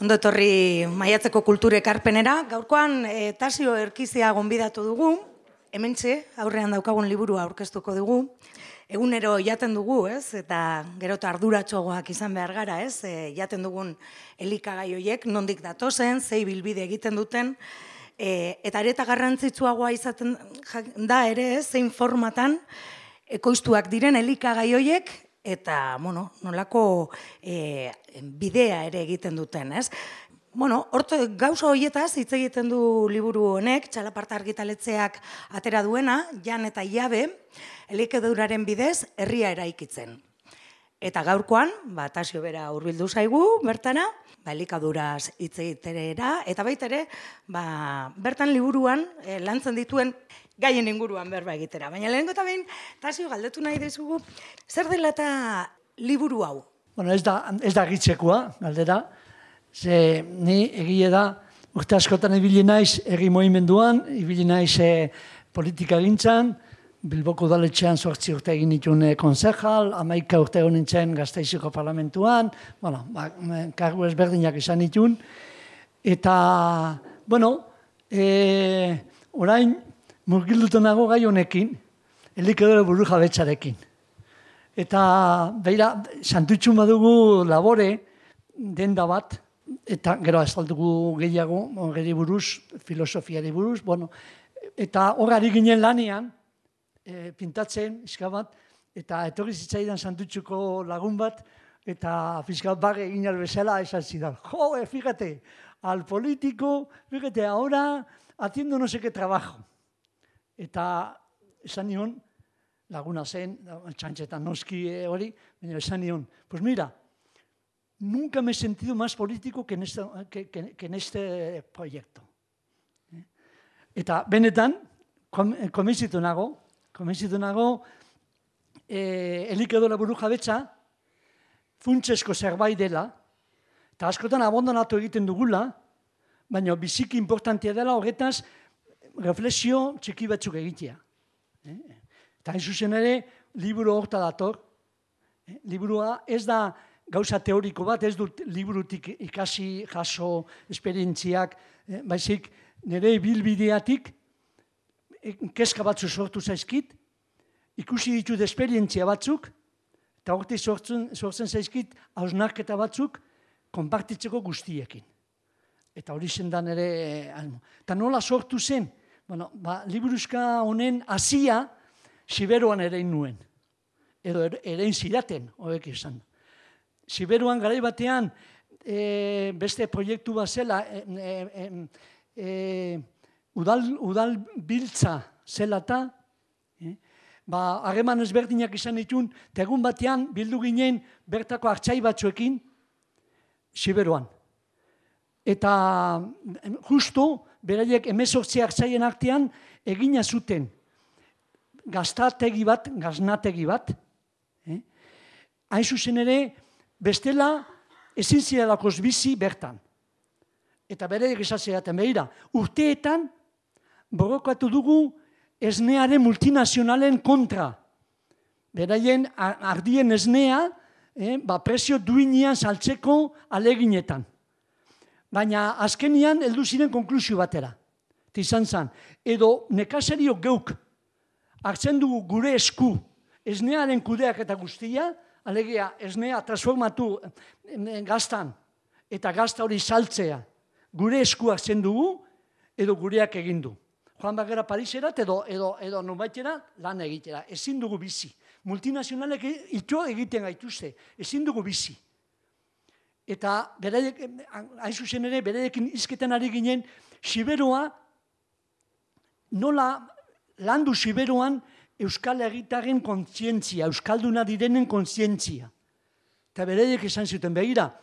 Ondo etorri Maiatzeko kultur ekarpenera. Gaurkoan Tasio Erkizia gonbidatu dugu. Hementxe aurrean daukagun liburua aurkeztuko dugu. Egunero jaten dugu, ez? Eta gero eta arduratsuagoak izan behar gara, ez? Jaten dugun elikagai horiek nondik datozen, zei bilbide egiten duten. Eta areta garrantzitsuagoa izaten da ere, ez? Zein formatan ekoiztuak diren elikagai horiek eta, nolako bidea ere egiten duten, ez? Gauza horietaz hitz egiten du liburu honek, Txalaparta argitaletxeak atera duena, Jan eta Jabe, elikaduraren bidez herria eraikitzen. Eta gaurkoan, Tasio bera hurbildu zaigu, bertara, elikaduraz hitz egitera, eta baita ere, bertan liburuan lantzen dituen gaien inguruan berba egitera. Baina lehenengo eta behin, Tasio galdetu nahi dezugu, zer dela eta liburu hau? Ez da gitzekoa, galdera. Ze ni egie da, urte askotan ibili naiz herri mugimenduan, ibili naiz politika gintzan, Bilboko udaletxean 8 urte egin nituen konsejal, 11 urte egon nintzen Gasteizeko parlamentuan, kargu ezberdinak izan nituen. Eta, orain murgilduta nago gai honekin, elikadura burujabetzarekin. Eta, beira, santutxun badugu labore, denda bat, eta gero azaldugu gehiago, geri buruz, filosofiari buruz, eta horari ginen lanean, pintatzen, izka bat, eta etorri zitzaidan santutxuko lagun bat, eta fiskat bage egin albezala esan zidan. Fíjate, al político, fíjate, ahora haciendo no sé qué trabajo. Eta esan nion, laguna zen, txantxetan noski hori, esan nion, pues mira, nunca me he sentido más político que en este proyecto. Eta benetan, konbentzitu nago, elikadura burujabetza funtsesko zerbait dela, eta askotan abandonatu egiten dugula, baina biziki importantea dela horretaz reflexio txiki batzuk egitea. Eta hain zuzen ere, liburu horta dator. Liburua ez da gauza teoriko bat, ez dut liburutik ikasi, jaso, esperientziak, baizik nire bilbideatik kezka batzu sortu zaizkit, ikusi ditut esperientzia batzuk, eta horti sortzen zaizkit hausnarketa batzuk konpartitzeko guztiekin. Eta hori zendan ere, eta nola sortu zen, liburuzka honen hasia Siberuan erein nuen, edo erein zidaten, horrek izan. Siberuan garai batean beste proiektu bat zela, udal biltza zela eta, harreman ezberdinak izan ditun, eta egun batean bildu ginen bertako hartzai batzuekin Siberuan. Eta justu, beraiek 18 hartzaien artean egina zuten gaznategi bat, hain zuzen ere, bestela ezin zirelakoz bizi bertan. Eta beraiek esatzen behira, urteetan borrokatu dugu esnearen multinazionalen kontra. Beraien ardien esnea prezio duinean saltzeko aleginetan. Baina azkenian heldu ziren konklusio batera. Izan zen, edo nekazario geuk hartzen dugu gure esku esnearen kudeak eta guztia, alegia esnea transformatu gaztan eta gazta hori saltzea gure esku hartzen dugu edo gureak egin du. Joan bagera Pariserat edo nubaitera lan egitera. Ezin dugu bizi. Multinazionalek ito egiten gaituzte. Ezin dugu bizi. Eta hain zuzen ere, beraiekin hizketan ari ginen, Siberua, nola landu Siberuan Euskal Herritarren kontzientzia, Euskalduna direnen kontzientzia. Eta beraiek esan zuten, begira,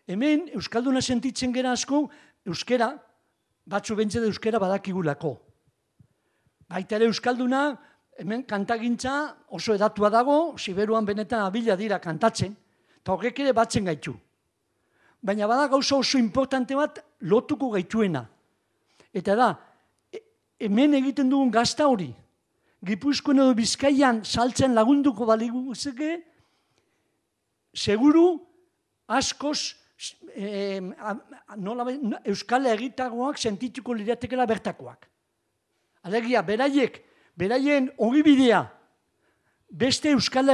hemen Euskalduna sentitzen gera asko, euskera, batzu bentzede euskera badakigulako. Baita ere Euskalduna, hemen kantagintza oso edatua dago, Siberuan benetan abila dira kantatzen, eta horrek ere batzen gaitu. Baina bada gauza oso importante bat lotuko gaituena. Eta da, hemen egiten dugun gazta hori, Gipuzkoan edo Bizkaian saltzen lagunduko baliguzeke, seguru askoz Euskal Herritargoak sentituko liratekela bertakoak. Alegia, beraien ogibidea beste Euskal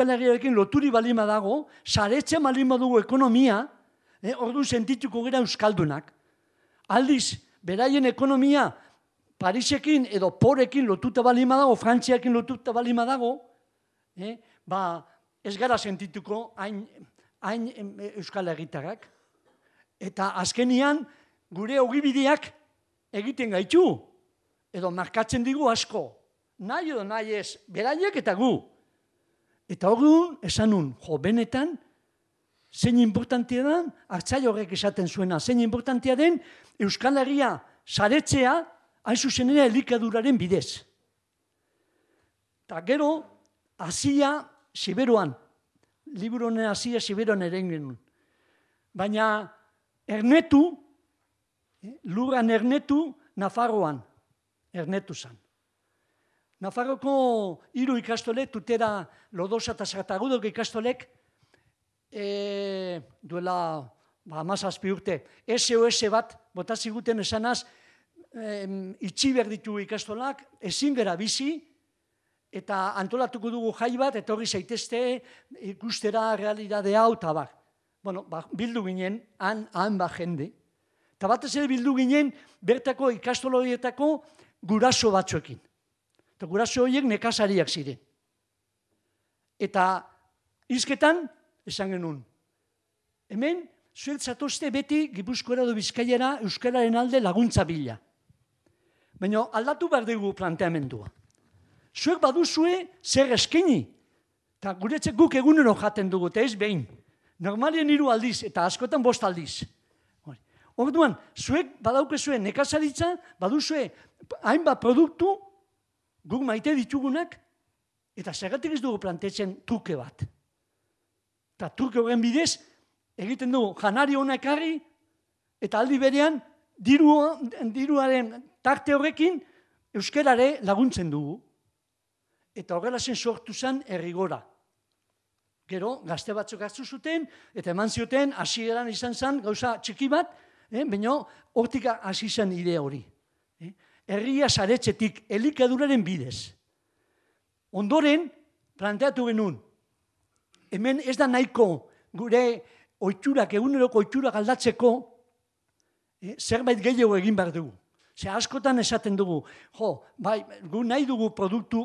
Herriarekin loturi balima dago, saretzen balima dugu ekonomia, orduan sentituko gara euskaldunak. Aldiz, beraien ekonomia Parisekin edo Porekin lotuta balima dago, Frantziakin lotuta balima dago, ez gara sentituko hain Euskal Herritarrak. Eta azkenian gure ogibideak egiten gaitu, edo markatzen digu asko. Nahi edo nahi ez, beraiek eta gu. Eta orduan, esan nun, benetan, zein importantia den, Artzai horrek esaten zuena, zein importantia den Euskal Herria saretzea, hain zuzen ere elikaduraren bidez. Eta gero, Hasia Siberuan, liburu honen Hasia Siberuan ere genuen. Baina ernetu, lurran ernetu, Nafarroan ernetu zen. Nafarroko 3 ikastolek, Tutera, Lodosa eta Sartagudoko ikastolek, duela 17 urte, SOS bat, bota ziguten esanaz, itxi behar ditu ikastolak, ezin gara bizi, eta antolatuko dugu jai bat, eta hori zaitezte ikustera realidade hau, eta bar. Bueno, bildu ginen, han jende. Eta batez ere bildu ginen, bertako ikastolo horietako guraso batzuekin. Eta guraso horiek nekazariak ziren. Eta hizketan, esan genuen, hemen, zuek zatozte beti Gipuzkoara edo Bizkaiara euskararen alde laguntza bila. Baina aldatu behar dugu planteamendua. Zuek baduzue zer eskaini. Eta guretzek guk egunero jaten dugu, eta ez behin. Normalien 3 aldiz, eta askotan 5 aldiz. Orduan, zuek badaukezue nekazaritza, baduzue hainbat produktu, guk maite ditugunak, eta zergatik ez dugu plantetzen truke bat. Eta truke horren bidez, egiten dugu janari hona ekarri, eta aldi berean, diruaren tarte horrekin, euskarare laguntzen dugu. Eta horrela zen sortu zen errigora. Gero, gazte batzuk hartu zuten, eta eman zioten, hasieran izan zen, gauza txiki bat, baina hortik hasi zen idea hori. Herria saretzetik, elikaduraren bidez. Ondoren, planteatu genuen, hemen ez da nahiko gure oiturak, eguneroko oiturak aldatzeko, zerbait gehiago egin behar dugu. Ze askotan esaten dugu, gu nahi dugu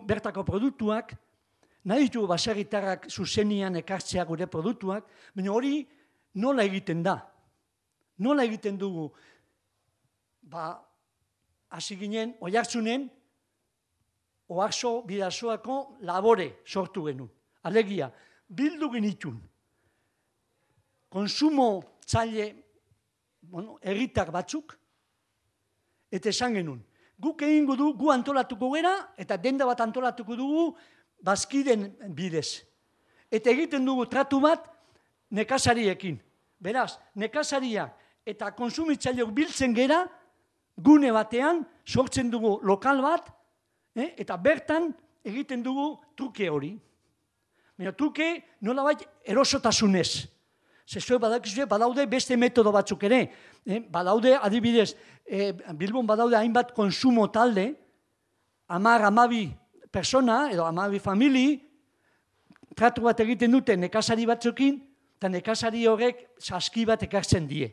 bertako produktuak, nahi ditugu baserritarrak zuzenian ekartzea gure produktuak, baina hori nola egiten da? Nola egiten dugu? Hasi ginen, Oiartzunen, Oarso Bidasoako labore sortu genuen. Alegia, bildu genitun. Konsumo tzaile, herritar batzuk, eta esan genuen. Guk egingo du, gu antolatuko gera, eta denda bat antolatuko dugu, bazkiden bidez. Eta egiten dugu tratu bat nekazariekin. Beraz, nekazariak eta konsumitzaileok biltzen gera, gune batean sortzen dugu lokal bat, eta bertan egiten dugu truke hori. Baina truke nolabait erosotasunez. Zezue badaude beste metodo batzuk ere. Badaude adibidez, Bilbon badaude hainbat konsumo talde, 10-12 persona edo 12 famili, tratu bat egiten dute nekazari batzukin, eta nekazari horrek saski bat ekartzen die.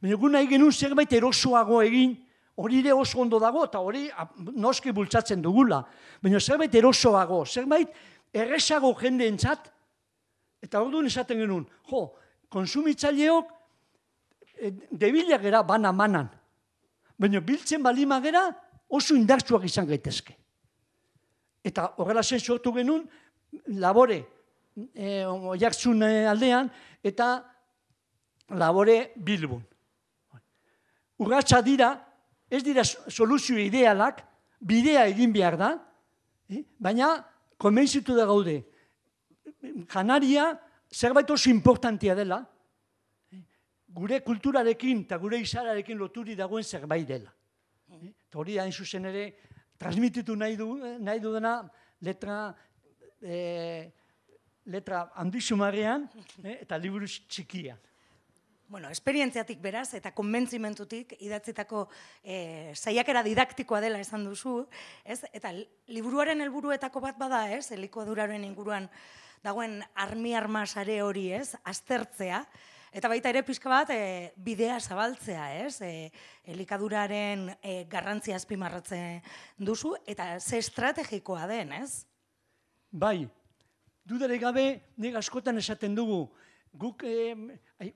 Baina gu nahi genuen zerbait erosoago egin, hori ere oso ondo dago, eta hori noski bultzatzen dugula. Baina zerbait erosoago, zerbait errezago jendeentzat, eta orduan esaten genuen, konsumitzaileok debilak gera bana-manan, baina biltzen balima gera oso indartsuak izan gaitezke. Eta horrela zen sortu genuen labore Oiartzun aldean eta labore Bilbon. Urratsa dira, ez dira soluzio idealak, bidea egin behar da, baina konbentzitu da gaude. Janaria zerbait oso importantia dela, gure kulturarekin eta gure izararekin loturi dagoen zerbait dela. Eta hori hain zuzen ere, transmititu nahi dudana letra handixumarrean, eta liburu txikian. Bueno, esperientziatik beraz eta konbentzimentutik idatzitako saiakera didaktikoa dela esan duzu, ez? Eta liburuaren helburuetako bat bada, ez? Elikaduraren inguruan dagoen armi-arma sare hori, ez? Aztertzea. Eta baita ere pixka bat bidea zabaltzea, ez? Elikaduraren garrantzia azpimarratzen duzu eta ze estrategikoa den, ez? Bai, dudarik gabe nik askotan esaten dugu, guk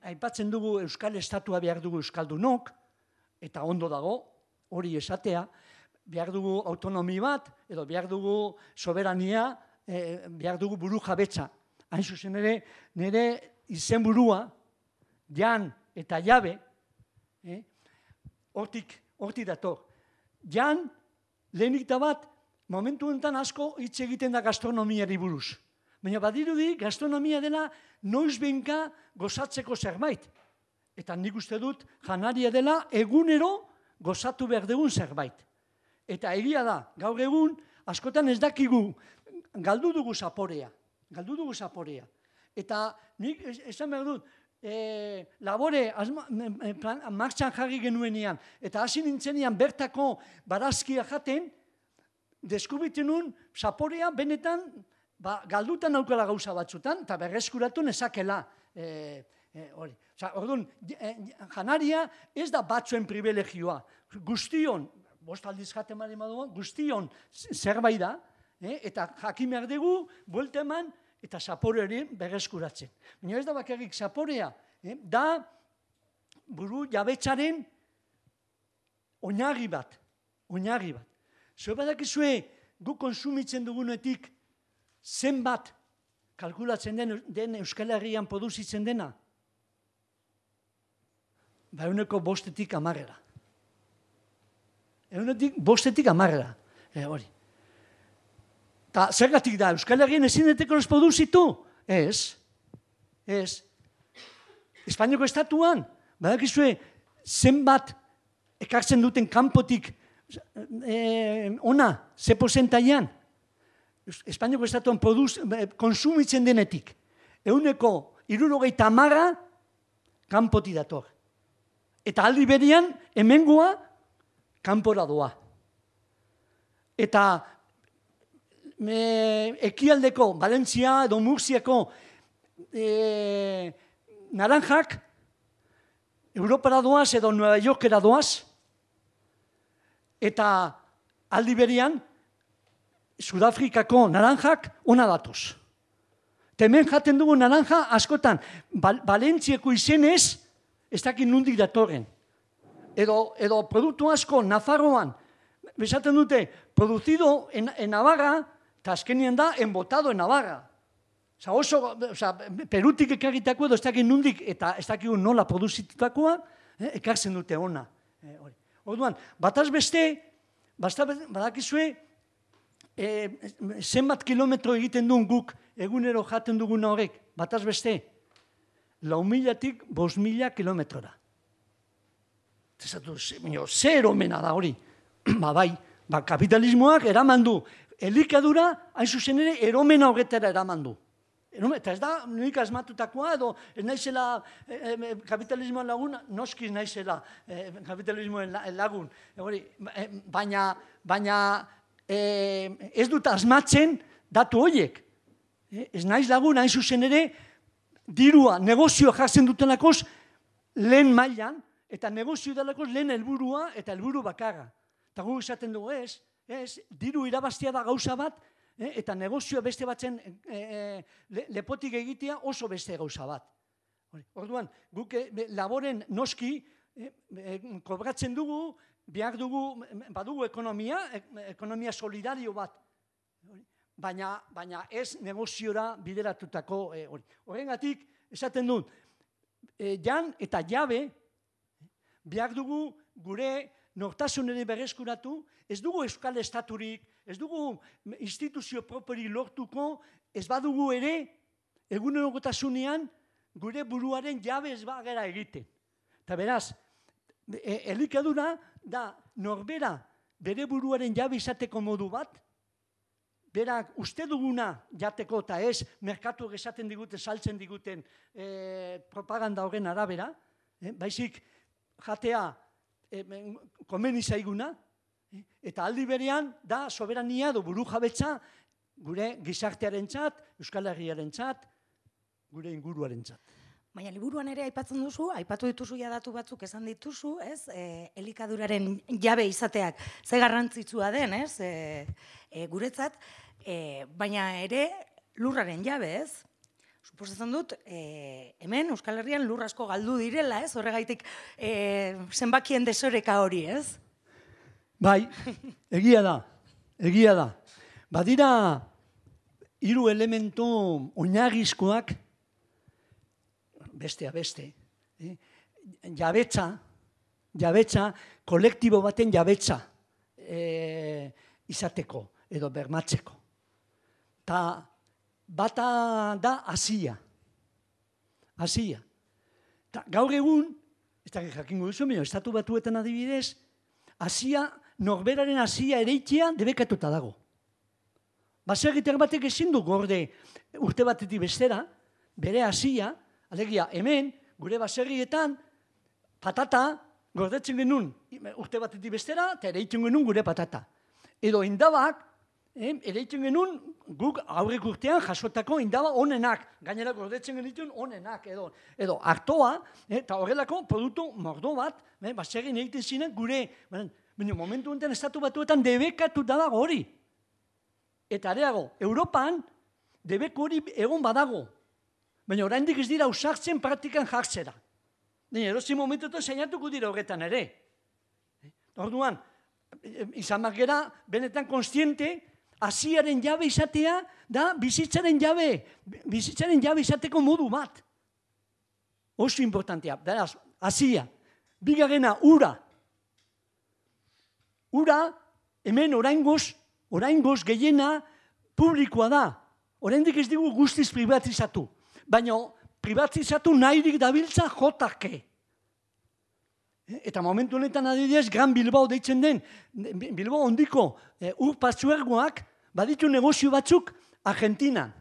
aipatzen dugu Euskal Estatua behar dugu Euskaldunok, eta ondo dago, hori esatea, behar dugu autonomi bat, edo behar dugu soberania, behar dugu buru jabetza. Hain zuzen ere, nire izenburua, Jan eta Jabe, hortik dator. Jan, lehenik da bat, momentu honetan asko hitz egiten da gastronomiari buruz. Baina badirudi gastronomia dela noiz behinka gozatzeko zerbait. Eta nik uste dut janaria dela egunero gozatu behar dugun zerbait. Eta egia da, gaur egun askotan ez dakigu galdu dugu zaporea. Eta nik esan behar dut, labore martxan jarri genuenean, eta hasi nintzenian bertako barazkia jaten, deskubritu nun zaporea benetan galdutan naukala gauza batzutan, eta berreskuratu nezakela hori. Orduan, janaria ez da batzuen privilegioa. Guztion, bost aldiz jaten bali maduan, guztion zerbait da, eta jakin behar dugu, buelta eman, eta zapore hori berreskuratzen. Baina ez da bakarrik zaporea, da buru jabetzaren oinarri bat. Zue badakizue gu konsumitzen dugunetik zenbat kalkulatzen den Euskal Herrian produzitzen dena? Ehuneko 5-tik 10. Ehuneko 5-tik 10. Hori. Eta zergatik da, Euskal Herrian ezin deteko ez produzitu? Ez. Espainiako estatuan, badakizue zenbat ekartzen duten kanpotik ona, ze porcentaian? Espainiako estatuan konsumitzen denetik, ehuneko 70 kanpoti dator. Eta aldi berean, hemengoa kanpora doa. Eta ekialdeko, Valentzia edo Murziako naranjak, Europara doaz edo Nueva Yorkera doaz, eta aldi berean, Sudafrikako naranjak ona datoz. Hemen jaten dugu naranja askotan, Valentziako izenez, ez dakit nondik datorren. Edo produktu asko Nafarroan, besaten dute, produzido en Navarra, eta azkenien da, enbotado en Navarra. Perutik ekarritako edo ez dakit nondik, eta ez dakit nola produzitutakoa, ekartzen dute ona. Orduan, bataz beste, badakizue, zenbat kilometro egiten duen guk egunero jaten duguna horrek, bataz beste, 4.000-tik 5.000 kilometrora. Zer omena da hori. Bai, kapitalismoak eraman du. Elikadura, hain zuzen ere, eromena horretara eraman du. Eta ez da, nik asmatutakoa edo, ez naizela kapitalismoan lagun, noskiz naizela kapitalismoan lagun. Baina ez dut asmatzen datu horiek. Ez naiz lagun, hain zuzen ere, dirua, negozioa jartzen dutenakoz lehen mailan, eta negozio delakoz lehen helburua eta helburu bakarra. Eta guk esaten dugu diru irabaztea da gauza bat, eta negozioa beste batzen lepotik egitea oso beste gauza bat. Orduan, guk laboren noski kobratzen dugu, behar dugu, badugu ekonomia solidario bat, baina ez negoziora bideratutako hori. Horrengatik, esaten dut, Jan eta Jabe, behar dugu gure nortasunere berreskuratu, ez dugu Euskal Estaturik, ez dugu instituzio properi lortuko, ez badugu ere, egunerokotasunean, gure buruaren jabe ez bagera egiten. Eta beraz, elikadura da norbera bere buruaren jabe izateko modu bat, berak uste duguna jateko eta ez merkatuak esaten diguten, saltzen diguten propaganda horren arabera, baizik jatea komeni zaiguna, eta aldi berean da soberania edo burujabetza gure gizartearentzat, Euskal Herriarentzat, gure inguruarentzat. Baina liburuan ere aipatzen duzu, aipatu dituzu ja datu batzuk esan dituzu, ez? Elikaduraren jabe izateak ze garrantzitsua den, ez? Guretzat, baina ere lurraren jabe, ez? Suposatzen dut, hemen Euskal Herrian lur asko galdu direla, ez? Horregaitik zenbakien desoreka hori, ez? Bai, egia da. Badira, 3 elementu oinarrizkoak, bestea beste, jabetza, kolektibo baten jabetza izateko edo bermatzeko. Ta bata da hasia. Gaur egun, ez da jakingo duzu, Estatu Batuetan adibidez, norberaren hasia ereitzea debekatuta dago. Baserritar batek ezin du gorde urte batetik bestera, bere hasia, alegia, hemen, gure baserrietan, patata gordetzen genuen urte batetik bestera, eta ereitzen genuen gure patata. Edo indabak, ereitzen genuen guk aurrek urtean jasotako indaba onenak, gainera gordetzen genituen onenak, edo hartoa, eta horrelako produktu mordo bat, baserrien egiten ziren gure, baina momentu honetan Estatu Batuetan debekatu dago hori. Eta areago, Europan debeko hori egon badago. Baina oraindik ez dira ausartzen praktikan jartzera. Erosi momentuetan zainatuko dira horretan ere. Orduan, izan gera benetan konstiente, hasiaren jabe izatea da bizitzaren jabe izateko modu bat. Oso importantea, beraz, hasia. Bigarrena, ura. Ura, hemen oraingoz gehiena publikoa da. Oraindik ez digu guztiz privatizatu. Baina privatizatu nahirik dabiltza jotake. Eta momentu honetan adibidez, Gran Bilbao deitzen den, Bilbao hondiko ur patzuergoak baditu negozio batzuk Argentinan.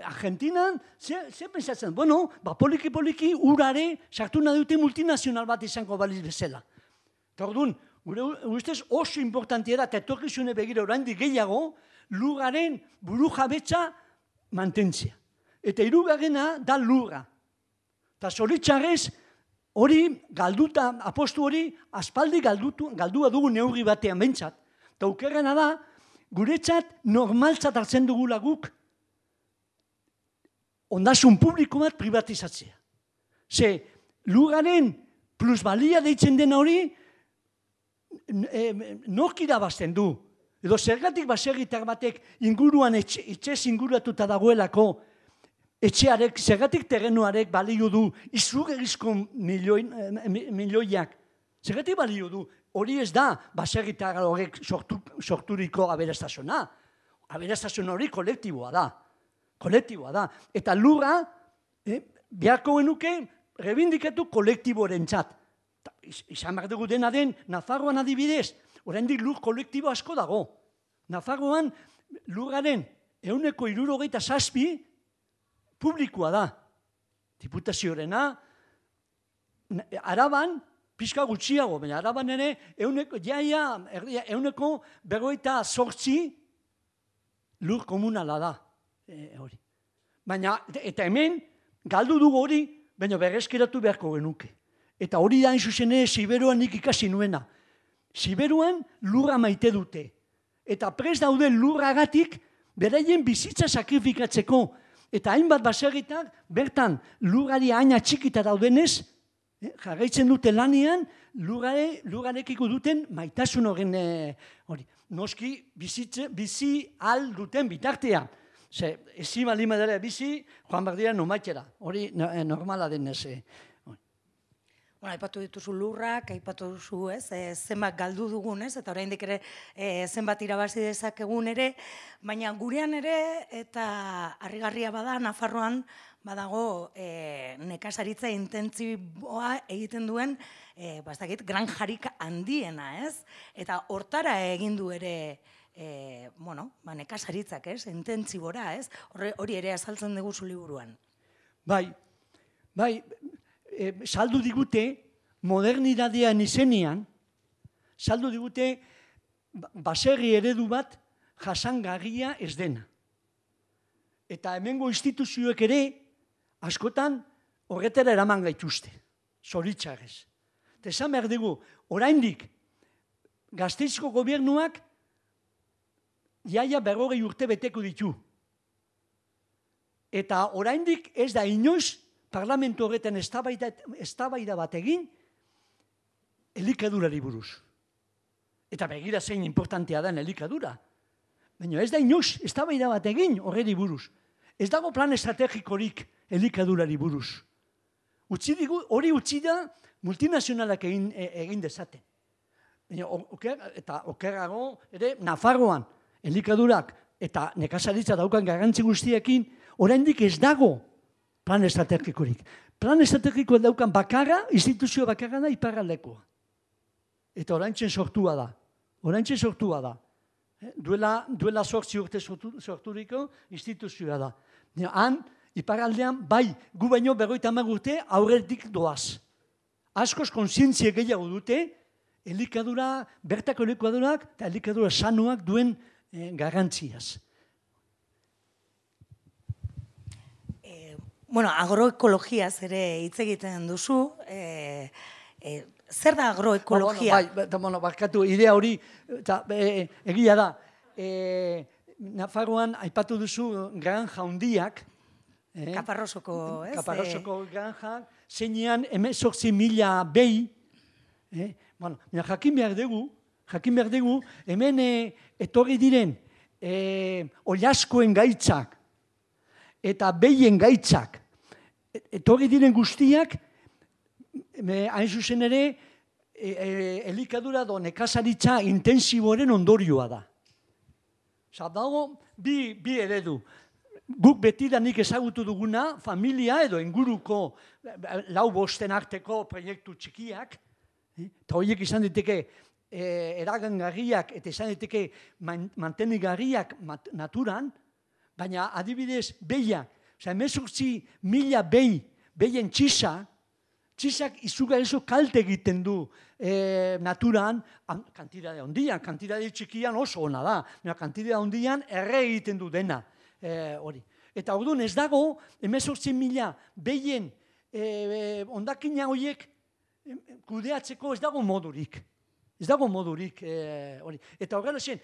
Argentinan, zer pensatzen? Bueno, poliki urare sartu nahi dute multinazional bat izango baliz bezala. Eta orduan, gure ustez oso importantia da, eta etorkizune begira oraindik gehiago, lurraren burujabetza mantentzea. Eta hirugarrena da lurra. Eta zoritxarrez, hori galduta, apostu hori, aspaldi galdua dugu neurri batean behintzat. Eta okerrena da, guretzat normaltzat hartzen dugula guk, ondasun publiko bat privatizatzea. Ze, lurraren plusbalia deitzen dena hori, nork irabazten du. Edo zergatik baserritar batek inguruan etxez inguratuta dagoelako, etxearek, zergatik terrenuarek balio du izugarrizko milioiak. Zergatik balio du, hori ez da baserritar horrek sorturiko aberastasuna. Aberastasuna hori kolektiboa da. Eta lurra, beharko genuke, rebindikatu kolektiboarentzat. Izan behar dugu dena den, Nafarroan adibidez, oraindik lur kolektibo asko dago. Nafarroan lurraren 67% publikoa da. Diputazioarena, Araban, pixka gutxiago, baina Araban ere, 58% lur komunala da. Baina, eta hemen, galdu dugu hori, baina berreskiratu beharko genuke. Eta hori da zuzen Siberuan nik ikasi nuena. Siberuan lurra maite dute. Eta prest dauden lurragatik beraien bizitza sakrifikatzeko. Eta hainbat baserritak bertan lurrari haina txikita daudenez, jarraitzen dute lanean lurrarekiko duten maitasun horren hori. Noski bizi al duten bitartean. Ezi balima dara bizi, joan behar dira nomaitera. Hori normala denez. Aipatu dituzu lurrak, aipatu duzu zenbat galdu dugun, eta oraindik ere zenbat irabazi dezakegun ere, baina gurean ere, eta harrigarria bada, Nafarroan badago nekazaritza intentziboa egiten duen, granjarik handiena, ez? Eta hortara egin du ere nekazaritzak, ez, intentsibora, ez, hori ere azaltzen dugu zu liburuan. Bai, saldu digute, modernidadean izenean, saldu digute, baserri eredu bat jasangarria ez dena. Eta hemengo instituzioek ere, askotan, horretara eraman gaituzte, zoritxarrez. Eta esan behar dugu, oraindik, Gasteizko gobernuak jaia 40 urte beteko ditu. Eta oraindik ez da inoiz parlamentu horretan eztabaida bat egin elikadurari buruz. Eta begira zein importantea den elikadura. Baina ez da inoiz eztabaida bat egin horreri buruz. Ez dago plan estrategikorik elikadurari buruz. Hori utzi da multinazionalak egin dezaten. Eta okerrago ere Nafarroan elikadurak eta nekazaritza daukan garrantzi guztiekin oraindik ez dago plan estrategikorik. Plan estrategikoa daukan bakarra, instituzio bakarra da iparraldekoa. Eta oraintzen sortua da. Duela 8 urte sorturiko instituzioa da. Han, iparraldean, bai, gu baino 50 urte aurretik doaz. Askoz kontzientzia gehiago dute, bertako elikadurak eta elikadura sanuak duen garrantziaz. Agroekologiaz ere hitz egiten duzu. Zer da agroekologia? Barkatu, idea hori, egia da, Nafarroan aipatu duzu granja handiak. Kaparrosoko, ez? Kaparrosoko granja, zeinean 18.000 behi. Jakin behar dugu, hemen etorri diren oliaskoen gaitzak eta behien gaitzak, etorri diren guztiak, hain zuzen ere, elikadura do nekazaritza intensiboren ondorioa da. Dago, bi eredu. Guk betidanik ezagutu duguna, familia edo inguruko 4-5 arteko proiektu txikiak, eta horiek izan diteke eragangarriak eta izan diteke mantenigarriak naturan, baina adibidez behiak, 18.000 behien txisak izugarrizko kalte egiten du naturan, kantidade handian, kantidade txikian oso ona da, kantidade handian erre egiten du dena. Eta orduan ez dago, 18.000 behien ondakina horiek kudeatzeko ez dago modurik. Eta horrela zen,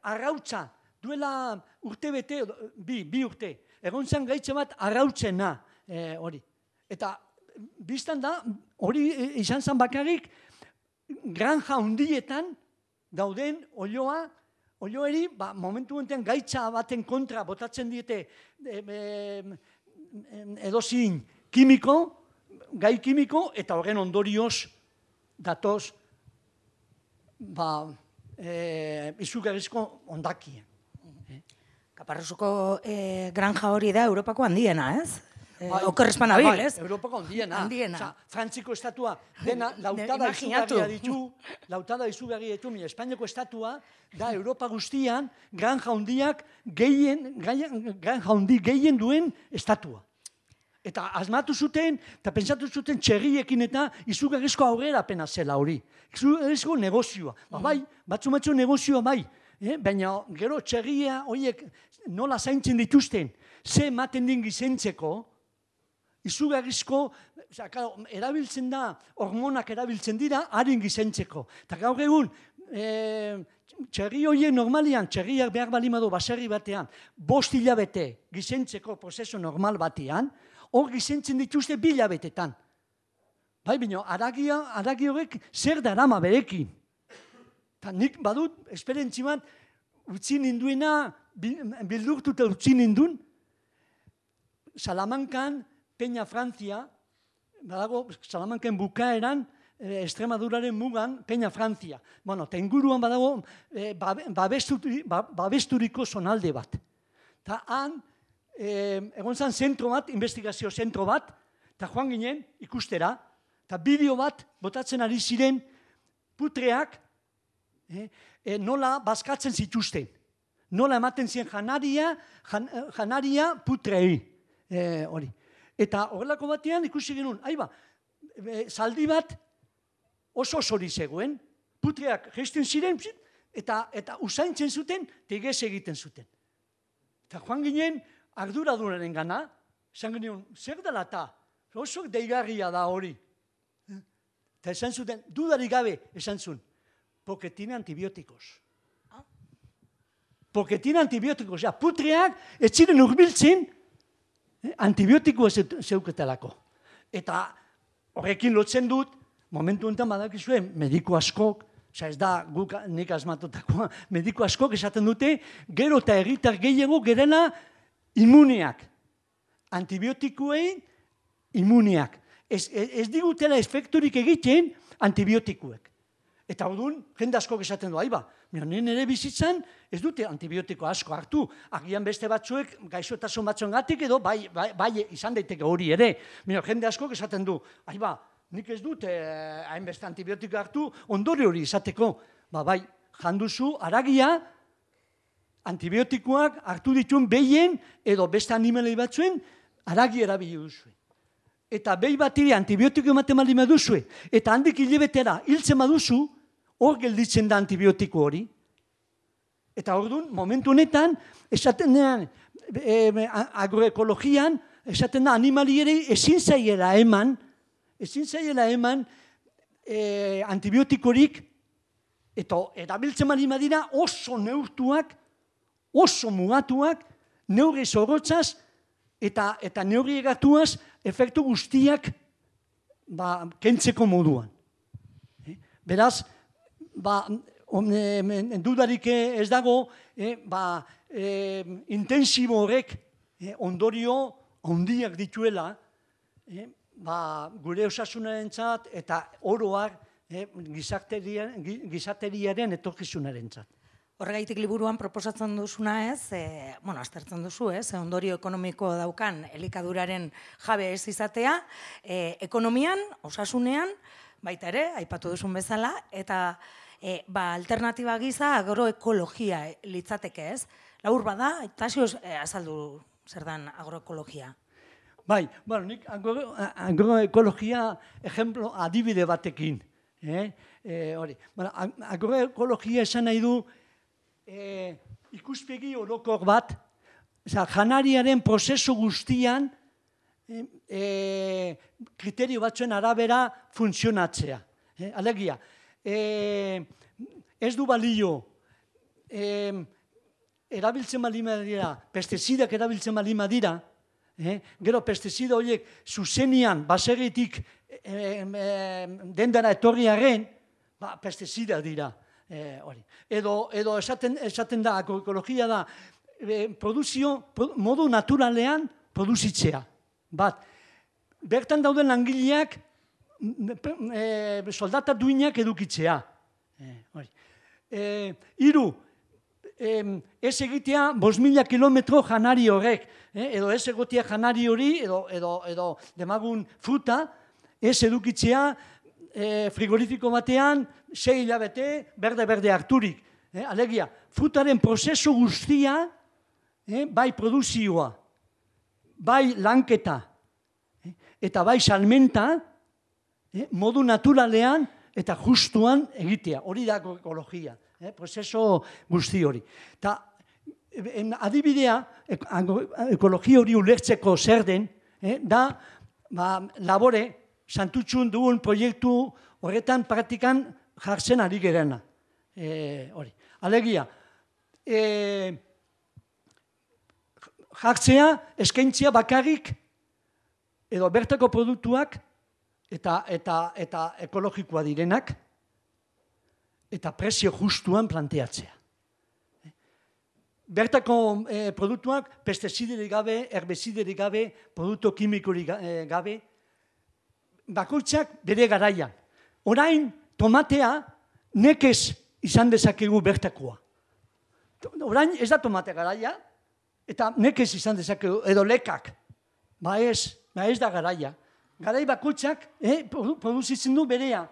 arrautza, duela urte bete, bi urte, egon zen gaitze bat arrautzena. Eta biztan da, hori izan zen bakarrik, granja hundietan dauden olioeri, momentu enten gaitza baten kontra botatzen diete edozin gai kimiko, eta horren ondorioz datoz izugarrizko ondakien. Kaparrosoko granja hori da Europako handiena, ez? Okerrezpan abil, ez? Europako handiena. Frantziko estatua dena lautada izugarria ditu, Espainiako estatua da Europa guztian granja handiak gehien duen estatua. Eta asmatu zuten, eta pentsatu zuten txerriekin eta izugarrizko aurrerapena zela hori. Izugarrizko negozioa. Bai, batzu negozioa bai. Baina gero txerria horiek nola zaintzen dituzten, ze ematen din gizentzeko, izugarrizko, erabiltzen da, hormonak erabiltzen dira, harin gizentzeko. Eta gaur egun, txerri horien normalian, txerriak behar balimado baserri batean, 5 hilabete gizentzeko prozesu normal batean, hor gizentzen dituzte 2 hilabetetan. Bai, baina haragi horrek zer darama berekin. Eta nik badut, esperientzi bat, utzi ninduena, bildurtuta utzi nindun, Salamankan, Peña Francia, badago, Salamanken bukaeran, Extremaduraren mugan, Peña Francia. Eta inguruan badago, babesturiko zonalde bat. Eta han, egon zen zentro bat, investigazio zentro bat, eta joan ginen ikustera, eta bideo bat botatzen ari ziren putreak nola bazkatzen zituzten. Nola ematen zien janaria putrei. Hori. Eta horrelako batean ikusi genuen, zaldi bat oso hori zegoen, putreak geisten ziren, eta usaintzen zuten, tegez egiten zuten. Eta joan ginen arduradunaren gana, esan genuen, zer dela eta, oso deigarria da hori. Eta esan zuten, dudarik gabe, esan zuen, porque tiene antibióticos. Porque tiene antibióticos. Putreak ez ziren urbiltzen, antibiotikoa zeuketelako. Eta horrekin lotzen dut, momentu honetan badakizuen, mediku askok, ez da guk nik asmatutakoa, mediku askok esaten dute, gero eta herritar gehiago gerena immuneak. Antibiotikoei immuneak. Ez digutela efekturik egiten antibiotikoek. Eta orduan, jende askok esaten du, nien ere bizitzan ez dute antibiotiko asko hartu. Agian beste batzuek, gaixotasun batzuengatik edo, bai izan daiteke hori ere. Jende askok esaten du, nik ez dute hainbeste antibiotiko hartu, ondore hori izateko. Bai, janduzu, aragia, antibiotikoak hartu dituen behien edo beste animalei batzuen, aragi erabili duzuen. Eta behi batiri antibiotiko ematen bali maduzue, eta handik hilabetera hiltzen baduzu, hor gelditzen da antibiotiko hori. Eta orduan, momentu honetan, esaten dean, agroekologian, esaten da animaliere ezin zaiela eman antibiotikorik, eta erabiltzen bali madira oso neurtuak, oso mugatuak, neurri zorrotzaz, eta neurri egatuaz, efektu guztiak kentzeko moduan. Beraz, dudarik ez dago, intensibo horrek ondorio handiak dituela, gure osasunarentzat eta oroar gizateriaren etorkizunarentzat. Horregaitik liburuan proposatzen duzuna ez, aztertzen duzu ez, ondorio ekonomiko daukan elikaduraren jabe ez izatea, ekonomian, osasunean, baita ere, aipatu duzun bezala, eta alternatiba giza agroekologia litzateke ez. Labur bada, Tasio azaldu zer dan agroekologia. Bai, nik agroekologia ejemplo adibide batekin. Agroekologia esan nahi du ikuspegi orokor bat, janariaren prozesu guztian kriterio batzuen arabera funtzionatzea. Alegia, ez du balio erabiltzen bali madira, pestizidak erabiltzen bali madira, gero pestizida horiek zuzenian baserritik dendara etorriaren, pestizida dira. Edo esaten da, agroekologia da, modu naturalean produzitzea. Bertan dauden langileak soldata duinak edukitzea. Hiru, ez egitea 5.000 kilometro janari horrek, edo ez egotea janari hori, edo demagun fruta, ez edukitzea frigorifiko batean, 6 hilabete, berde harturik. Alegia, frutaren prozesu guztia, bai produzioa, bai lanketa, eta bai salmenta, modu naturalean eta justuan egitea. Hori da agroekologia, prozesu guzti hori. Eta adibidea, ekologia hori ulertzeko zer den, da labore, santutxun dugun proiektu horretan praktikan jartzen ari gerena. Alegia, jartzea, eskaintzea bakarrik, edo bertako produktuak, eta ekologikoa direnak, eta prezio justuan planteatzea. Bertako produktuak, pestiziderik gabe, herbiziderik gabe, produktu kimikorik gabe, bakoitzak bere garaian. Orain, tomatea nekez izan dezakegu bertakoa. Orain ez da tomate garaia, eta nekez izan dezakegu, edo lekak. Ez da garaia. Garai bakoitzak produzitzen du berea.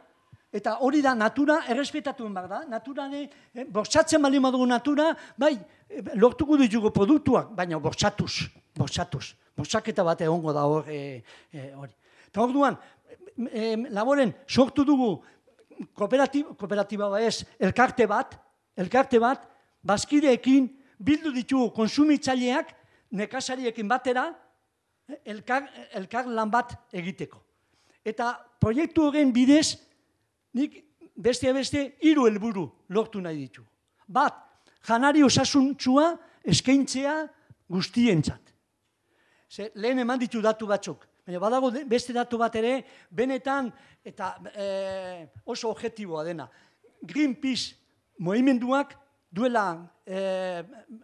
Eta hori da, natura errespetatu behar da. Naturane, bortxatzen bali madugu natura, bai, lortuko ditugu produktuak, baina bortxatuz. Bortxaketa bat egongo da hori. Eta hor duan, laboren sortu dugu kooperatiba ez, elkarte bat, bazkideekin bildu ditugu konsumitzaileak nekazariekin batera elkar lan bat egiteko. Eta proiektu horren bidez, nik beste 3 helburu lortu nahi ditu. Bat, janari osasuntsua eskaintzea guztientzat. Lehen eman ditu datu batzuk. Baina badago beste datu bat ere, benetan eta oso objektiboa dena. Greenpeace movimenduak duela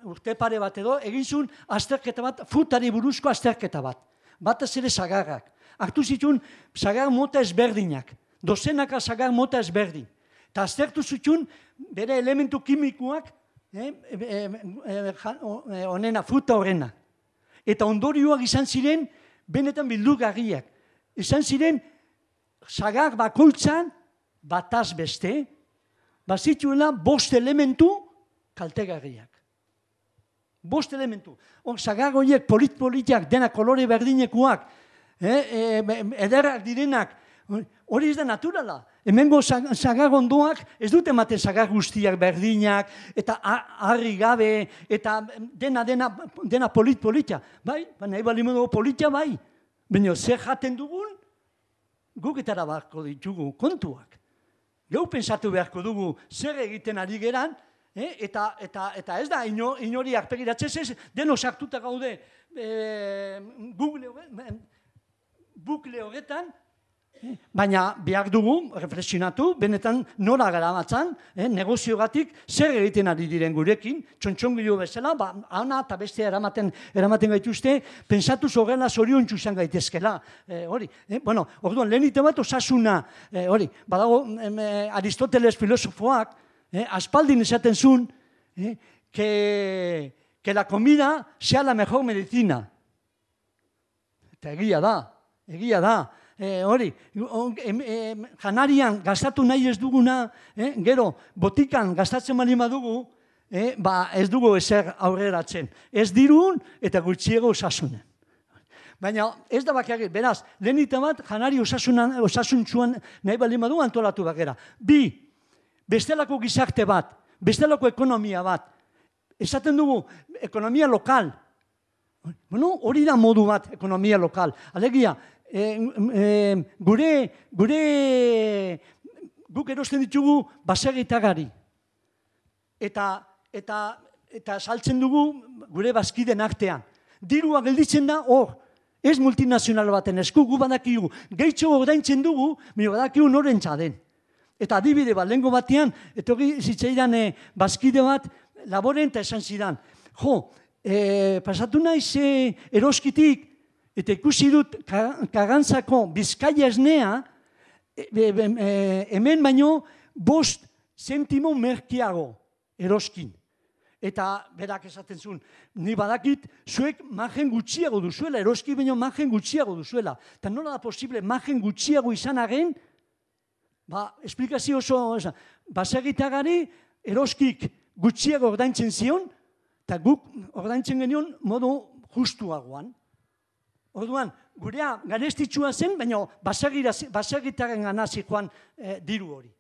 urte pare bat edo, egin zuen azterketa bat, frutari buruzko azterketa bat. Batez ere sagarrak. Hartu zituen sagar mota ezberdinak. Dozenaka sagar mota ezberdin. Eta aztertu zituen bere elementu kimikoak, fruta horrena. Eta ondorioak izan ziren, benetan bildugarriak. Izan ziren, sagar bakoitzan, bataz beste, bazituela 5 elementu kaltegarriak. 5 elementu. Sagar horiek polit-politiak, dena kolore berdinekuak, ederrak direnak, hori ez da naturala. Hemengo sagar ondoak ez dute ematen sagar guztiak berdinak, eta harri gabe, eta dena polit-politia. Bai, nahi bali modu politia bai. Baina zer jaten dugun, guk etara beharko ditugu kontuak. Geu pensatu beharko dugu zer egiten ari geran, eta ez da inori arpegiratzez ez, deno sartuta gaude bukle horretan, baina behar dugu, reflexionatu, benetan nora garamatzan, negoziogatik zer egiten ari diren gurekin, txontxongilo bezala, ana eta beste eramaten gaituzte, pensatuz horrela zoriontsu izan gaitezkela. Bueno, orduan, lehenite bat osasuna, badago Aristoteles filosofoak, aspaldin esaten zuen, que la comida sea la mejor medicina. Eta egia da. Janarian gastatu nahi ez duguna, gero botikan gastatzen bali badugu, ez dugu ezer aurreratzen. Ez dirun eta gutxiego osasunen. Baina ez da bakarrik, beraz, lehenite bat janari osasuntzuan nahi bali badugu antolatu bakera. 2, bestelako gizarte bat, bestelako ekonomia bat. Esaten dugu, ekonomia lokal. Bueno, hori da modu bat, ekonomia lokal. Alegia, guk erosten ditugu baserritagari. Eta saltzen dugu gure bazkiden artean. Dirua gelditzen da hor, ez multinazional baten esku, gu badakigu. Gehitxo ordaintzen dugu, badakigu norentza den. Eta adibide bat, lehengo batean, etorri zitzaidan bazkide bat, laboren eta esan zidan. Pasatu naiz eroskitik, eta ikusi dut Karrantzako Bizkaia esnea, hemen baino 5 zentimo merkiago eroskin. Eta berak esaten zuen, ni badakit, zuek margen gutxiago duzuela, eroski baino margen gutxiago duzuela. Eta nola da posible margen gutxiago izan arren, esplikazio oso, baserritagari eroskik gutxiago ordaintzen zion, eta guk ordaintzen genion modu justuagoan. Orduan, gurea garestitsua zen, baina baserritaren gana zikoan diru hori.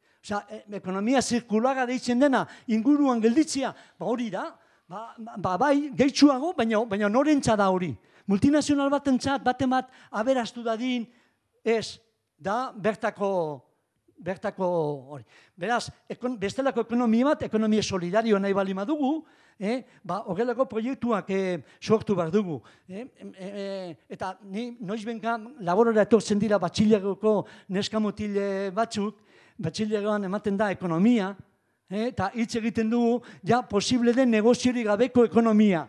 Ekonomia zirkulara deitzen dena inguruan gelditzea, hori da, bai, gehitsuago, baina norentza da hori. Multinazional batentzat, baten bat aberastu dadin, ez, da bertako hori. Beraz, bestelako ekonomia bat, ekonomia solidario nahi bali madugu, horrelako proiektuak sortu behar dugu. Eta noiz benka laborora etortzen dira batxilergoko neskamutile batzuk, batxilergoan ematen da ekonomia, eta hitz egiten dugu, ja posible den negoziori gabeko ekonomia.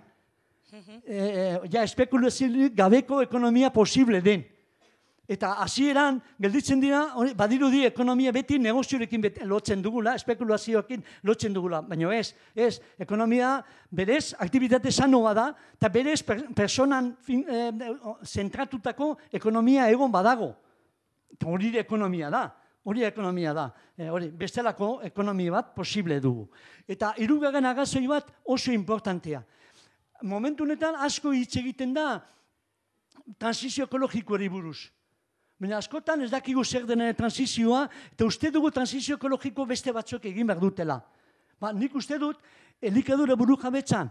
Ja espekulaziorik gabeko ekonomia posible den. Eta hasieran gelditzen dira, badirudi ekonomia beti negoziorekin lotzen dugula, espekulazioekin lotzen dugula. Baina ez, ekonomia berez, aktibitate sanoa da, eta berez personan zentratutako ekonomia egon badago. Hori ekonomia da. Hori ekonomia da. Hori, bestelako ekonomia bat posible dugu. Eta hirugarren arrazoi bat oso importantea. Momentu honetan asko hitz egiten da transizio ekologikoari buruz. Baina askotan ez dakigu zer denen transizioa, eta uste dugu transizio ekologiko beste batzuk egin behar dutela. Nik uste dut, elikadura burujabetzan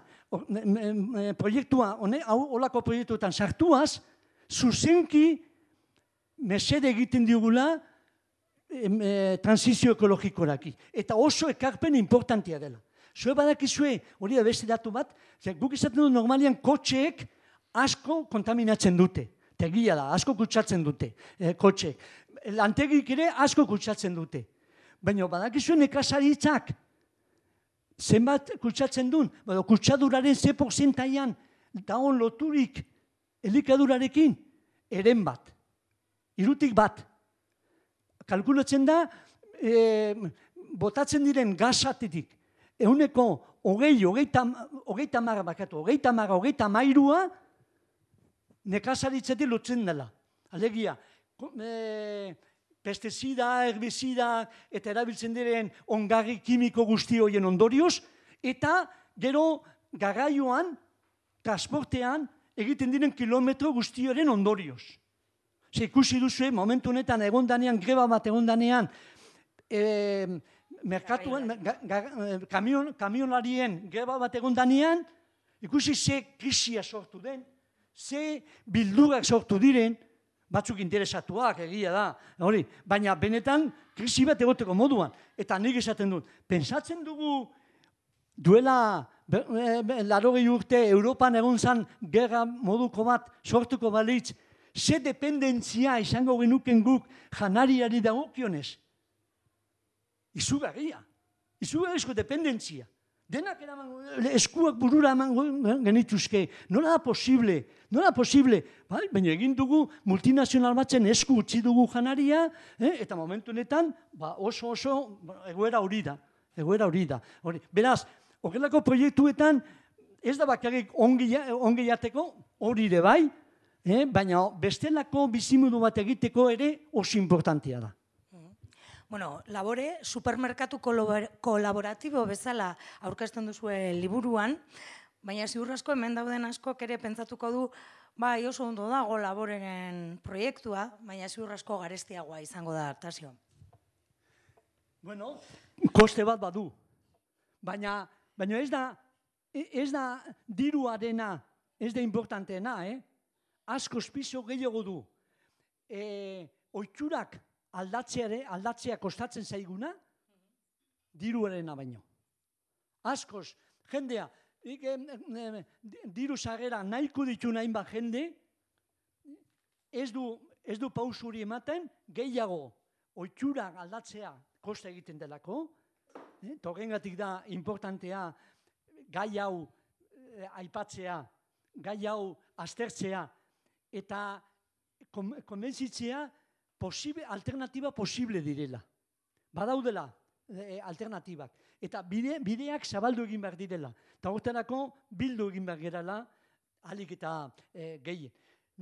proiektua, holako proiektuetan sartuaz, zuzenki mesede egiten digula transizio ekologikoraki. Eta oso ekarpen importantia dela. Zue badakizue, hori da beste datu bat, guk izaten du normalian kotxeek asko kontaminatzen dute. Tegia da, asko kutsatzen dute kotxeek. Lantegik ere asko kutsatzen dute. Baina badakizue nekazaritzak zenbat kutsatzen duen, kutsaduraren ze porzentaian dagoen loturik elikadurarekin, eren bat. Hirutik bat. Kalkulatzen da, botatzen diren gazatetik, ehuneko hogeita mairua nekazaritzetik lotzen dela. Alegia, pestizida, herbizida eta erabiltzen diren ongarri kimiko guzti horien ondorioz, eta gero garraioan, transportean, egiten diren kilometro guzti horien ondorioz. Ikusi duzu, momentu honetan egondanean, greba bat egondanean, merkatuan, kamionarien greba bat egondanean, ikusi ze krisia sortu den, ze bildurak sortu diren, batzuk interesatuak, egia da, hori, baina benetan krisi bat egoteko moduan. Eta nik esaten dut, pentsatzen dugu duela 80 urte Europan egon zan gerra moduko bat sortuko balitz, ze dependentzia izango genuken guk janariari dagokionez. Izugarria, izugarrizko dependentzia. Denak eskuak burura eman genituzke. Nola da posible? Nola da posible? Baina egin dugu multinazional batzen esku utzi dugu janaria, eta momentu honetan oso egoera hori da. Egoera hori da. Beraz, horrelako proiektuetan ez da bakarrik ongi jateko, hori ere bai, baina bestelako bizimudu bat egiteko ere oso importantia da. Bueno, Labore, supermerkatu kolaboratibo bezala aurkezten duzue liburuan, baina ziur asko hemen dauden askok ere pentsatuko du, bai oso ondo dago Laboreren proiektua, baina ziur asko garestiagoa izango da, Artasio. Bueno, koste bat badu, baina ez da diruarena, ez da importanteena, askoz piso gehiago du. Ohiturak aldatzea kostatzen zaiguna, diruarena baino. Askoz, jendea, diru sarrera nahiko ditu hainbat jende, ez du pausuri ematen, gehiago ohiturak aldatzea kosta egiten delako, horrengatik da importantea gai hau aipatzea, gai hau aztertzea, eta konbentzitzea alternatiba posible direla. Badaudela alternatibak. Eta bideak zabaldu egin behar direla. Eta horretarako bildu egin behar gerala ahalik eta gehien.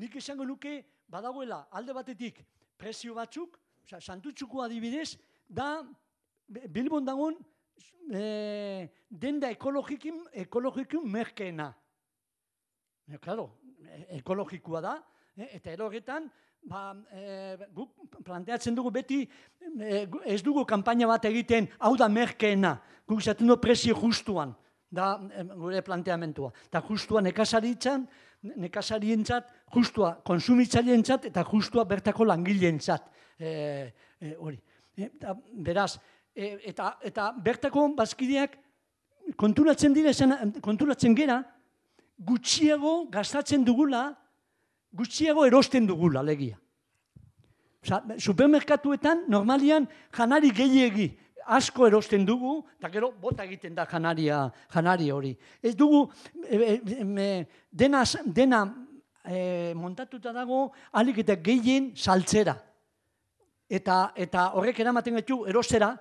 Nik esango nuke badagoela alde batetik prezio batzuk, Santutxuko adibidez, da Bilbon dagoen denda ekologikin merkeena. Claro, ekologikoa da, eta horretan, guk planteatzen dugu beti, ez dugu kanpaina bat egiten, hau da merkeena, guk izaten du prezio justuan, da gure planteamentua. Eta justua nekazarientzat, justua konsumitzaileentzat, eta justua bertako langileentzat. Beraz, eta bertako bazkideak konturatzen gera, gutxiago gastatzen dugula, gutxiago erosten dugula, alegia. Supermerkatuetan, normalian, janari gehiegi asko erosten dugu, eta gero bota egiten da janari hori. Ez dugu, dena montatuta dago, ahalik eta gehien saltzera. Eta horrek eramaten gaitu erostera,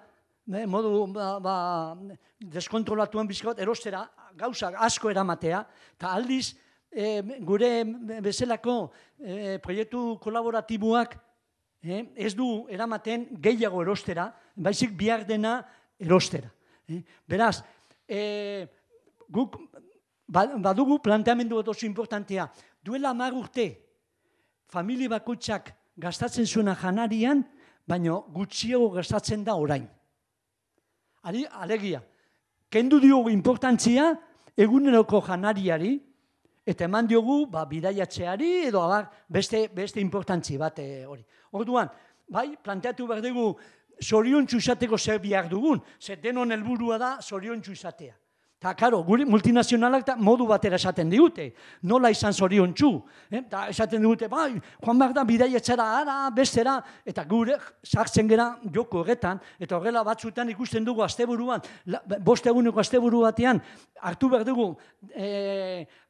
modu deskontrolatuan bizkot, erostera, gauzak asko eramatea, eta aldiz, gure bezalako proiektu kolaboratiboak ez du eramaten gehiago erostera, baizik behar dena erostera. Beraz, guk badugu planteamendu bat oso importantea. Duela 10 urte, familia bakoitzak gastatzen zuena janarian, baina gutxiago gastatzen da orain. Alegia, kendu diogu importantzia eguneroko janariari, eta eman diogu bidaiatzeari edo beste importantzi bat hori. Orduan, planteatu behar dugu zoriontsu izateko zer behar dugun, zer denon helburua da zoriontsu izatea. Eta, karo, gure multinazionalak modu batera esaten digute, nola izan zoriontsu. Eta esaten digute, joan behar da bidaiatzera, bestera, eta gure sartzen gera joko horretan, eta horrela batzutan ikusten dugu asteburuan, 5 eguneko asteburu batean, hartu behar dugu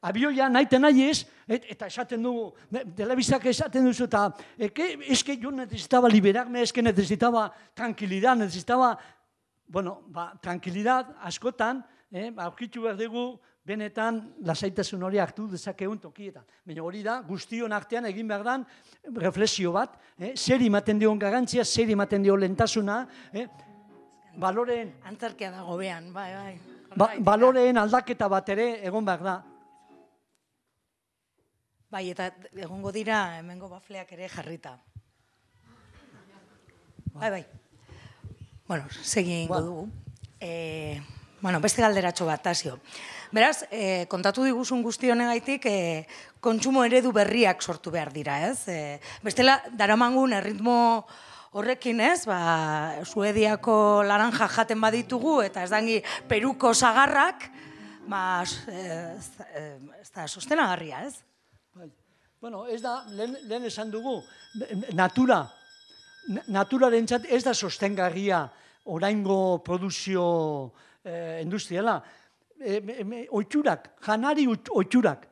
abioia nahi ez, eta esaten dugu, telebizak esaten duzu, eta eske yo necesitaba liberarme, eske necesitaba tranquilidad, necesitaba, tranquilidad askotan, aurkitu behar dugu, benetan lasaitasun hori hartu dezakegun tokietan. Baina hori da, guztion artean egin behar dan reflexio bat, zer ematen dion garantzia, zer ematen dion lentasuna, baloreen... Antzarkia dago behan, bai. Baloreen aldaketa bat ere egon behar da. Bai, eta egongo dira hemengo bafleak ere jarrita. Bai. Bueno, segin ingo dugu. Beste galderatxo bat, Tasio. Beraz, kontatu diguzun guzti honegaitik, kontsumo eredu berriak sortu behar dira, ez? Bestela, daramangun erritmo horrekin, ez? Suediako laranja jaten baditugu, eta ez dangi Peruko sagarrak, ez da sostenagarria, ez? Bueno, ez da, lehen esan dugu, naturarentzat ez da sostengarria oraingo produzio industriala, janari oiturak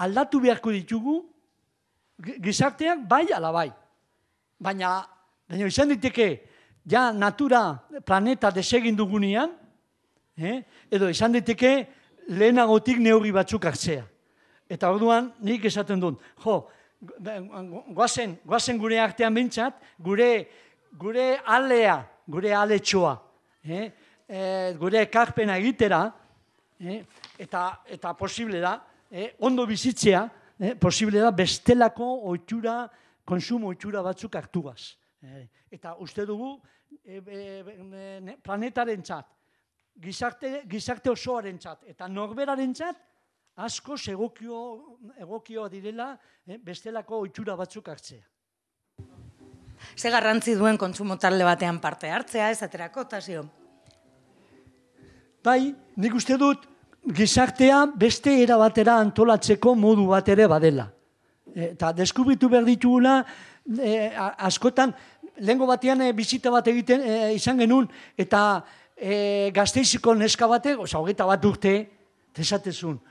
aldatu beharko ditugu, gizarteak bai ala bai. Baina izan diteke, ja natura planeta desegin dugunean, edo izan diteke lehenagotik neurri batzuk hartzea. Eta orduan nik esaten dut, goazen gure artean bintzat, gure alea, gure aletxoa, gure ekarpena egitera, eta posible da, ondo bizitzea, posible da bestelako ohitura, konsumo ohitura batzuk hartugaz. Eta uste dugu, planetarentzat, gizarte osoarentzat, eta norberarentzat, asko egokioa direla bestelako ohitura batzuk hartzea. Ze garrantzi duen kontsumo talde batean parte hartzea, esaterako, Tasio? Bai, nik uste dut gizartea beste era batera antolatzeko modu bat ere badela. Eta deskubritu behar ditugula, askotan, lehengo batean bizita bat egiten izan genuen, eta Gasteiziko neska batek, 21 urte, esatezun,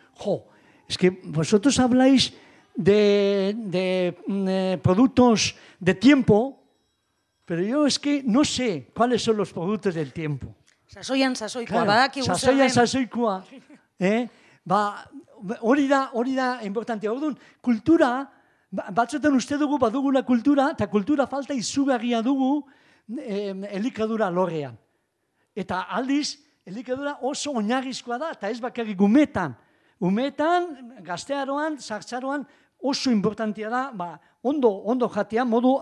es que vosotros habláis de productos de tiempo, pero yo es que no sé cuáles son los productos del tiempo. Sasoikoa, badakigu zer sasoikoa. Hori da importante. Orduan, kultura, batzuetan uste dugu badugula kultura, eta kultura falta izugarria dugu elikadura lorrean. Eta aldiz, elikadura oso oinarrizkoa da, eta ez bakarrik umetan. Umetan, gaztearoan, sartzaroan, oso importantia da, ondo jatea, modu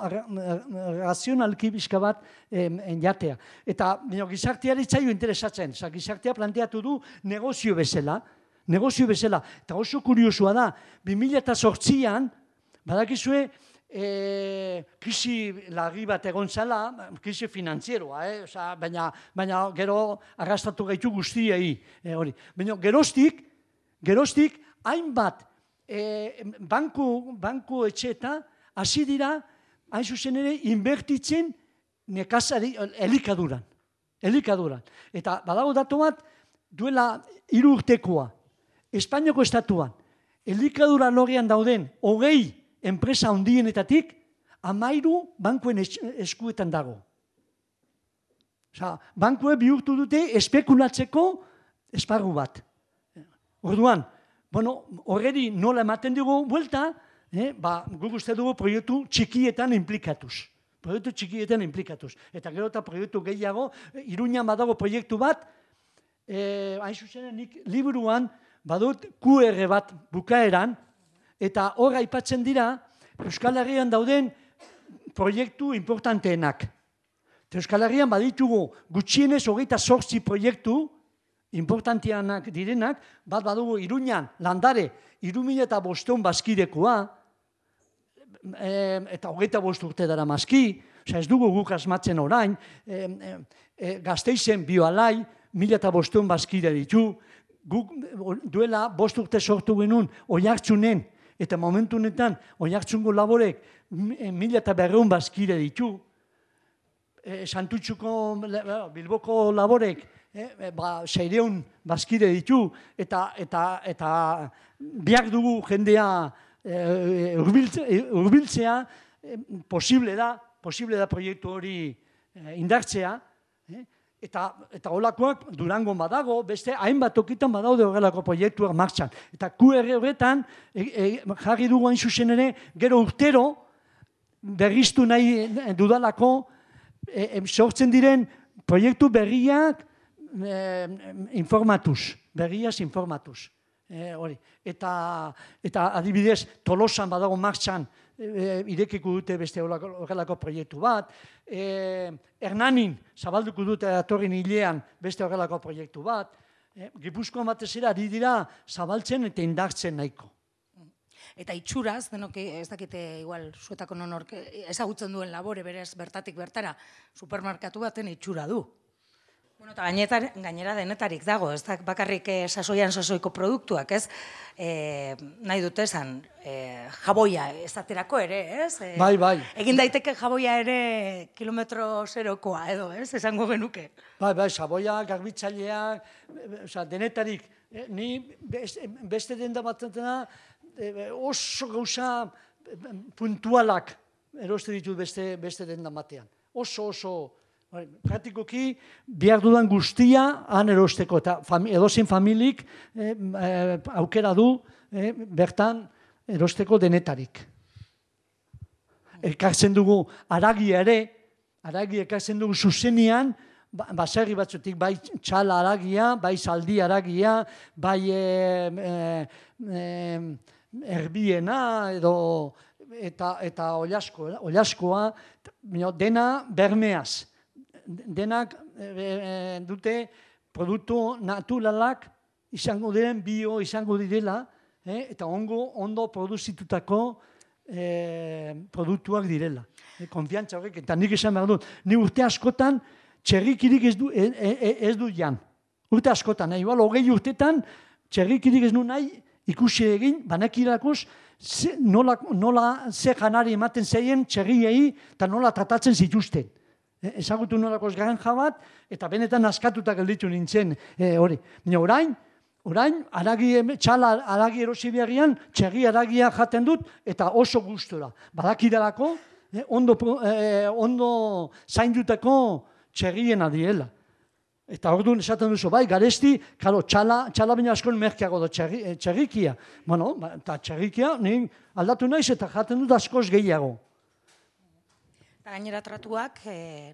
razionalki bizka bat jatea. Eta gizarteari zaio interesatzen, gizartea planteatu du negozio bezala, eta oso kuriosua da, 2008an, badakizue, krisi larri bat egon zela, krisi finanzieroa, baina gero arrastatu gaitu guztiei. Baina geroztik, hainbat banku etxeta hasi dira, hain zuzen ere, inbertitzen nekazari elikaduran. Eta badago datu bat, duela 3 urtekoa, Espainiako estatuan, elikadura lorrean dauden 20 enpresa handienetatik, 13 bankuen eskuetan dago. Bankue bihurtu dute espekulatzeko esparru bat. Orduan, horredi nola ematen dugu buelta, guk uste dugu proiektu txikietan implikatuz. proiektu txikietan implikatuz. Eta gero eta proiektu gehiago, Iruñan badago proiektu bat, hain zuzen nik liburuan badut QR bat bukaeran, eta hor aipatzen dira Euskal Herrian dauden proiektu importanteenak. Euskal Herrian baditugu gutxienez 28 proiektu importantianak direnak, bat badugu Iruñan, Landare, 3.500 bazkidekoa, eta 25 urte dara mazki, ez dugu guk asmatzen orain, Gasteizen Bioalai, 1.500 bazkide ditu, guk duela 5 urte sortu genuen Oiartzunen, eta momentu honetan Oiartzungo laborek 1.200 bazkide ditu, Santutxuko, Bilboko laborek 600 bazkide ditu, eta biak dugu jendea hurbiltzea, posible da proiektu hori indartzea, eta holakoak Durangon badago, beste hainbat tokitan badaude horrelako proiektuak martxan. Eta QR horretan jarri dugu hain zuzen ere, gero urtero berriztu nahi dudalako sortzen diren proiektu berriak berriaz informatuz. Eta adibidez, Tolosan badago martxan irekiko dute beste horrelako proiektu bat, Hernanin zabalduko dute datorren hilean beste horrelako proiektu bat, Gipuzkoan batez ere ari dira zabaltzen eta indartzen nahiko. Eta itxuraz, denok ez dakite igual zuetako nonork ezagutzen duen labore berez bertatik bertara, supermerkatu baten itxura du. Bueno, eta gainera denetarik dago, ez da bakarrik sasoiko produktuak, ez? Nahi dute esan, jaboia ezaterako ere, ez? Bai. Egin daiteke jaboia ere kilometro zerokoa edo, ez? Esango genuke. Bai, jaboia, garbitzaileak, denetarik. Ni beste denda batena oso gauza puntualak eroste ditut beste denda batean. Oso praktikoki behar dudan guztia han erosteko, eta edozein familik aukera du bertan erosteko denetarik. Ekartzen dugu haragia ere, haragia ekartzen dugu zuzenian, baserri batzutik, bai txala haragia, bai zaldi haragia, bai erbiena eta olaskoa, dena bermeaz. Denak dute produktu naturalak izango diren, bio izango direla, eta ondo produzitutako produktuak direla. Konfiantza horrek, eta nik esan behar dut, ni urte askotan txerrikirik ez du jan. Urte askotan, igual 20 urtetan txerrikirik ez du nahi ikusi egin, banekirakoz nola ze janari ematen zeien txerriei eta nola tratatzen zituzten. Ezagutu nolakoz granja bat, eta benetan askatuta gelditu nintzen hori. Orain, txala haragi erosi beharrian, txerri haragia jaten dut, eta oso gustora. Badakidalako, ondo zaindutako txerriena diela. Eta orduan esaten duzu, bai, garesti, txala baina askon merkeago da txerrikia. Bueno, eta txerrikia, aldatu naiz eta jaten dut askoz gehiago. Eta gainera tratuak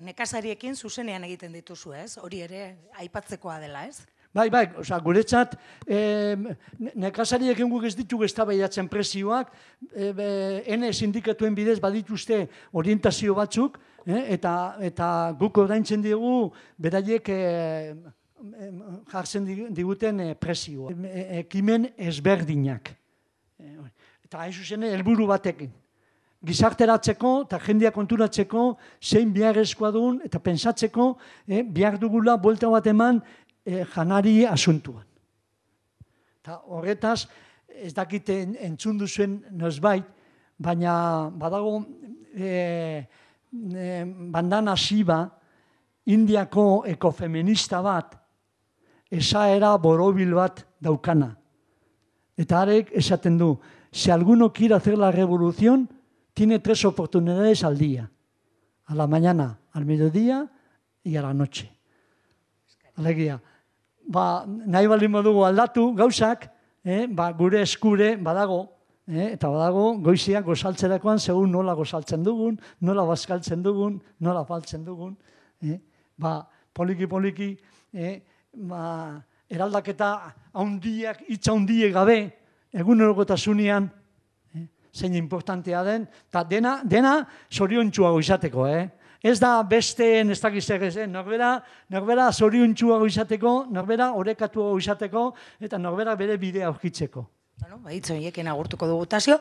nekazariekin zuzenean egiten dituzu, ez? Hori ere aipatzekoa dela, ez? Bai, guretzat nekazariekin guk ez ditugu eztabaidatzen prezioak, ene sindikatuen bidez badituzte orientazio batzuk, eta guk ordaintzen digu beraiek jartzen diguten prezioa. Ekimen ezberdinak. Eta hain zuzen helburu batekin. Gizarteratzeko eta jendea konturatzeko zein beharrezkoa duen eta pentsatzeko behar dugula buelta bat eman janari asuntuan. Eta horretaz, ez dakite entzun duzuen nozbait, baina badago Bandana Shiva, Indiako ekofeminista bat, esaera borobil bat daukana. Eta harek esaten du, si alguno quiere hacer la revolución, tiene 3 oportunidades al día. A la mañana, al mediodía y a la noche. Alegia. Nahi baldin modugu aldatu gauzak, gure eskure badago, Eta badago, goiziak gozaltzerakoan, segun nola gozaltzen dugun, nola bazkaltzen dugun, nola faltzen dugun. Poliki-poliki, eraldaketa haundiak, hitz haundiek gabe, egunerokotasunean, zein importantea den, eta dena zoriontsuago izateko, Ez da besteen ez dakizek ez, norbera zoriontsuago izateko, norbera orekatuago izateko, eta norbera bere bidea aurkitzeko. Hitz horiekin agurtuko dugu, Tasio.